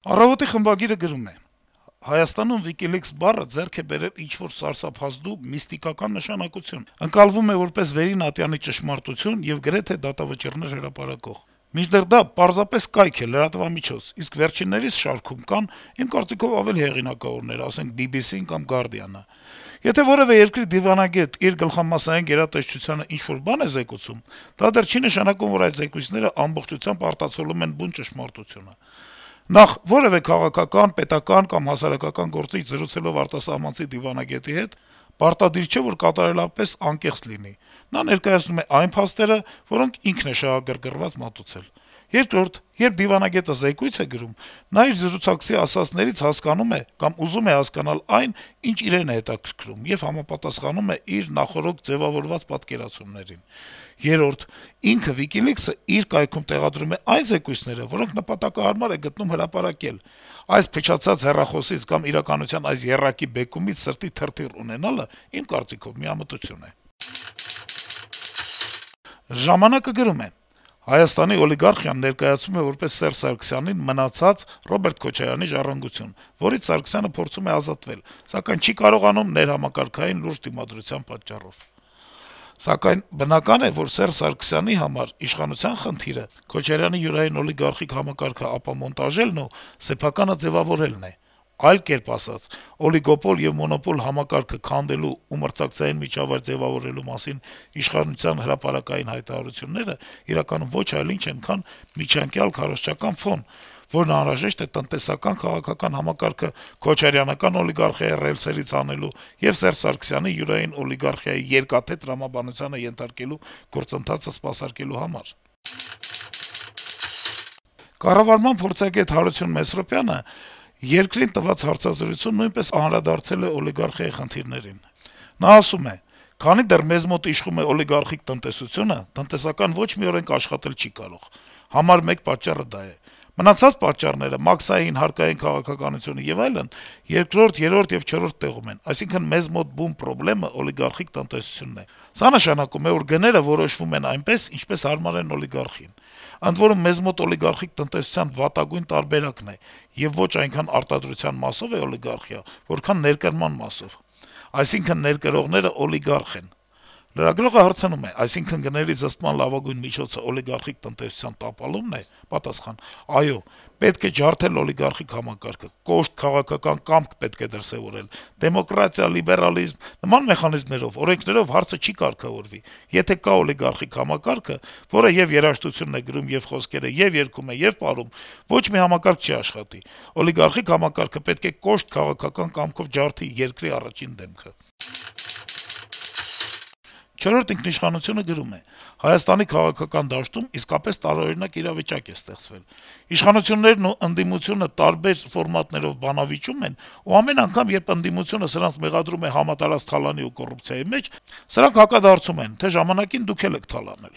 «Առավոտ»-ի խմբագիրը գրում է. - «Հայաստանում WikiLeaks բառը ձեռք է բերել ինչ-որ սարսափազդու, միստիկական նշանակություն, ընկալվում է որպես Վերին ատյանի ճշմարտություն եւ գրեթե դատավճիռներ հրապարակող: Մինչդեռ դա պարզապես կայք է, լրատվամիջոց, իսկ վերջիններիս շարքում կան, իմ կարծիքով, ավելի հեղինակավորներ, ասենք BBC-ն կամ Guardian-ը: Եթե որեւէ երկրի դիվանագետ իր գլխամասսային գերատեսչությանը ինչ-որ բան է զեկուցում, դա դեռ չի նշանակում, որ այդ զեկույցները ամբողջությամբ արտացոլում են բուն ճշմարտությունը: Նախ, որեւէ քաղաքական, պետական կամ հասարակական գործիչ զրուցելով արտասահմանցի դիվանագետի հետ, պարտադիր չէ, որ կատարելապես անկեղծ լինի: Նա ներկայացնում է այն փաստերը, որոնք ինքն է շահագրգռված մատուցել: Երկրորդ, երբ դիվանագետը զեկույց է գրում, նա իր զրուցակցի ասածներից հասկանում է կամ ուզում է հասկանալ այն, ինչ իրեն է հետաքրքրում, եւ համապատասխանում է իր նախօրոք ձեւավորված պատկերացումներին: Երրորդ, ինքը` WikiLeaks-ը, իր կայքում տեղադրում է այն զեկույցները, որոնք նպատակահարմար է գտնում հրապարակել: Այս փչացած հեռախոսից կամ իրականության այս եռակի բեկումից սրտի թրթիռ ունենալը, իմ կարծիքով, միամտություն է»: «Ժամանակ»-ը գրում է. - «Հայաստանի օլիգարխիան ներկայացում է որպես Սերժ Սարգսյանին մնացած Ռոբերտ Քոչարյանի ժառանգություն, որից Սարգսյանը փորձում է ազատվել, սակայն չի կարողանում ներհամակարգային լուրջ դիմադրության պատճառով: Սակայն բնական է, որ Սերժ Սարգսյանի համար իշխանության խնդիրը Քոչարյանի յուրային օլիգարխիկ համակարգը ապամոնտաժելն ու սեփականը ձեւավորելն է: Այլ կերպ ասած, օլիգոպոլ եւ մոնոպոլ համակարգը քանդելու ու մրցակցային միջավայր ձեւավորելու մասին իշխանության հրապարակային հայտարարությունները իրականում ոչ այլ ինչ են, քան միջանկյալ քարոզչական ֆոն, որն անհրաժեշտ է տնտեսական քաղաքական համակարգը քոչարյանական օլիգարխիայի ռելսերից հանելու եւ Սերժ Սարգսյանի յուրային օլիգարխիայի երկաթե տրամաբանությանը ենթարկելու գործընթացը սպասարկելու համար»: Կառավարման փորձագետ Հարություն Մեսրոպյանը «Երկիր» տված հարցազրույցում նույնպես անդրադարձել է օլիգարխիայի խնդիրներին: Նա ասում է. - «Քանի դեռ մեզ մոտ իշխում է օլիգարխիկ տնտեսությունը, տնտեսական ոչ մի օրենք աշխատել չի կարող: Համար մեկ պատճառը դա է: Մնացած պատճառները` մաքսային, հարկային քաղաքականությունը եւ այլն, երկրորդ, երրորդ եւ չորրորդ տեղում են: Այսինքն` մեզ մոտ բուն պրոբլեմը օլիգարխիկ տնտեսությունն է: Սա նշանակում է, որ գները որոշվում են այնպես, ինչպես հարմար են օլիգարխին: Ընդ որում, մեզ մոտ օլիգարխիկ տնտեսության վատագույն տարբերակն է եւ ոչ այնքան արտադրության մասով է օլիգարխիա, որքան ներկրման մասով: Այսինքն` ներկրողները օլիգարխ են»: Լրագրողը հարցնում է. - «Այսինքն` գների զսպման լավագույն միջոցը օլիգարխիկ տնտեսության տապալումն է»: Պատասխան. - «Այո, պետք է ջարդել օլիգարխիկ համակարգը, կոշտ քաղաքական կամք պետք է դրսեւորել: Դեմոկրատիա, լիբերալիզմ, նման մեխանիզմներով, օրենքներով հարցը չի կարգավորվի: Եթե կա օլիգարխիկ համակարգը, որը ե'ւ երաժշտություն է գրում, ե'ւ խոսքեր է, ե'ւ երգում է, ե'ւ պարում, ոչ մի համակարգ չի աշխատի: Օլիգարխիկ համակարգը պետք է կոշտ քաղաքական կամքով ջարդի երկրի առաջին դեմքը»: «Չորրորդ ինքնիշխանություն»-ը գրում է. - «Հայաստանի քաղաքական դաշտում իսկապես տարօրինակ իրավիճակ է ստեղծվել: Իշխանություններն ու ընդդիմությունը տարբեր ֆորմատներով բանավիճում են, ու ամեն անգամ, երբ ընդդիմությունը սրանց մեղադրում է համատարած թալանի ու կոռուպցիայի մեջ, սրանք հակադարձում են, թե ժամանակին դուք էլ եք թալանել: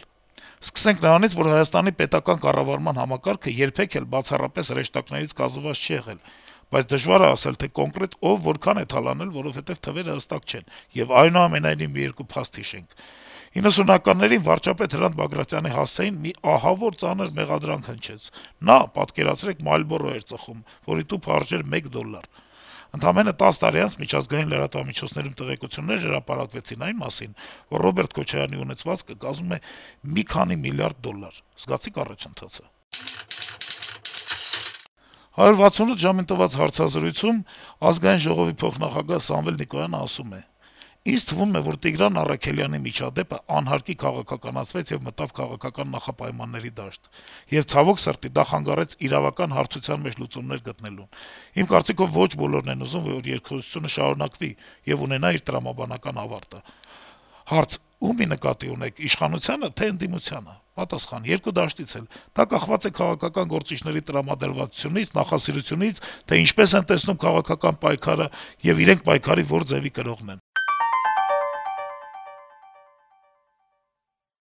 Սկսենք նրանից, որ Հայաստանի պետական կառավարման համակարգը երբեք էլ բացառապես հրեշտակներից կազմված չի եղել, բայց դժվար է ասել, թե կոնկրետ ով որքան է թալանել, որովհետեւ թվերը հստակ չեն, եւ այնուամենայնիվ մի երկու փաստ հիշենք: 90-ականներին վարչապետ Հրանտ Բագրատյանի հասցեին մի ահավոր ծանր մեղադրանք հնչեց: Նա, պատկերացրեք, Marlboro էր ծխում, որի տուփը արժեր $1: Ընդամենը 10 տարի անց միջազգային լրատվամիջոցներում տեղեկություններ հրապարակվեցին այն մասին, որ Ռոբերտ Քոչարյանի ունեցվածքը կազմում է մի քանի միլիարդ $: Զգացի՞ք առաջընթացը»: «168 ժամ»-ին տված հարցազրույցում Ազգային ժողովի փոխնախագահ Սամվել Նիկոյանը ասում է. - «Ինձ թվում է, որ Տիգրան Առաքելյանի միջադեպը անհարկի քաղաքականացվեց եւ մտավ քաղաքական նախապայմանների դաշտ: Եվ, ցավոք սրտի, դա խանգարեց իրավական հարթության մեջ լուծումներ գտնելուն: Իմ կարծիքով, ոչ բոլորն են ուզում, որ երկխոսությունը շարունակվի եւ ունենա իր տրամաբանական ավարտը»: Հարց. - «Ումի նկատի ունեք՝ իշխանությա՞նը, թե՞ ընդդիմությանը»: Պատասխան. - «Երկու դաշտից էլ: Դա կախված է քաղաքական գործիչների տրամադրվածությունից, նախասիրությունից, թե ինչպես են տեսնում քաղաքական պայքարը եւ իրենք պայքարի որ ձեւի կրողն են»: